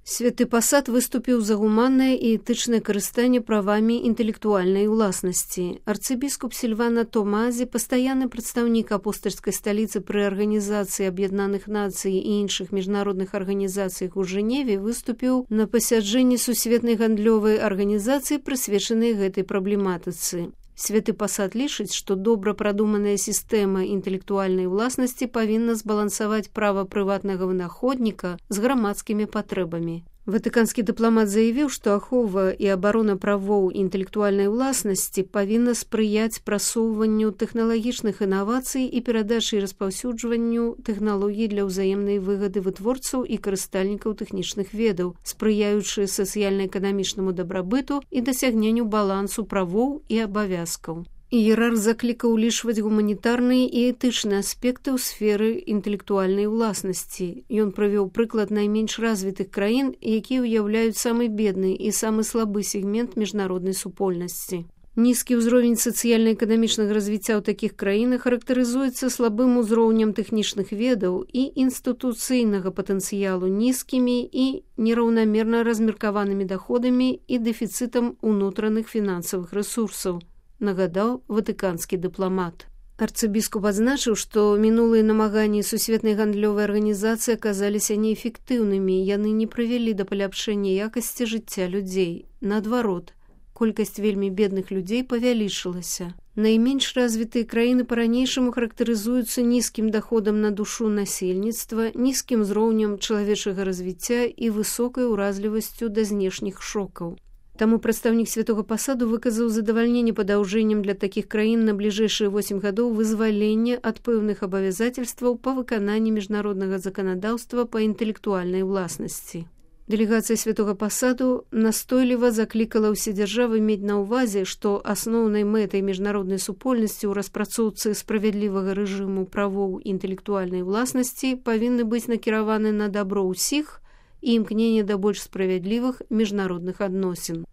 Святы пасад выступіў за гуманнае і этычнае карыстанне правамі інтэлектуальнай уласнасці. Арцыбіскуп Сільвана Томазі, пастаянны прадстаўнік апостальскай сталіцы пры Арганізацыі Аб'яднаных Нацый і іншых міжнародных арганізацыях у Жэневе, выступіў на пасяджэнні Сусветнай гандлёвай арганізацыі, прысвечанай гэтай праблематыцы. Святы пасад лічыць, што добра прадуманая сістэма інтэлектуальнай уласнасці павінна збалансаваць права прыватнага вынаходніка з грамадскімі патрэбамі. Ватыканскі дыпламат заявіў, што ахова і абарона правоў інтэлектуальнай уласнасці павінна спрыяць прасоўванню тэхналагічных інавацый і перадачы і распаўсюджванню тэхналогій для ўзаемнай выгады вытворцаў і карыстальнікаў тэхнічных ведаў, спрыяючы сацыяльна-эканамічнаму дабрабыту і дасягненню балансу правоў і абавязкаў. Іерарх заклікаў улічваць гуманітарныя і этычныя аспекты ў сферы інтэлектуальнай уласнасці. Ён прывёў прыклад найменш развітых краін, якія ўяўляюць самы бедны і самы слабы сегмент міжнароднай супольнасці. Нізкі ўзровень сацыяльна-эканамічнага развіцця ў такіх краінах характарызуецца слабым узроўнем тэхнічных ведаў і інстытуцыйнага патэнцыялу, нізкімі і нераўнамерна размеркаванымі даходамі і дэфіцытам унутраных фінансавых рэсурсаў, нагадаў ватыканскі дыпламат. Арцыбіскуп адзначыў, што мінулыя намаганні Сусветнай гандлёвай арганізацыі аказаліся неэфектыўнымі, яны не прывялі да паляпшэння якасці жыцця людзей. Наадварот, колькасць вельмі бедных людзей павялічылася. Найменш развітыя краіны па-ранейшаму характарызуюцца нізкім даходам на душу насельніцтва, нізкім узроўнем чалавечага развіцця і высокай уразлівасцю да знешніх шокаў. Таму прадстаўнік святога пасаду выказаў задавальненне падаўжэннем для такіх краін на бліжэйшыя 8 гадоў вызвалення ад пэўных абавязацельстваў па выкананні міжнароднага заканадаўства па інтэлектуальнай уласнасці. Дэлегацыя святога пасаду настойліва заклікала ўсе дзяржавы мець на ўвазе, што асноўнай мэтай міжнароднай супольнасці ў распрацоўцы справядлівага рэжыму правоў інтэлектуальнай уласнасці павінны быць накіраваны на дабро ўсіх і імкненне да больш справядлівых міжнародных адносін.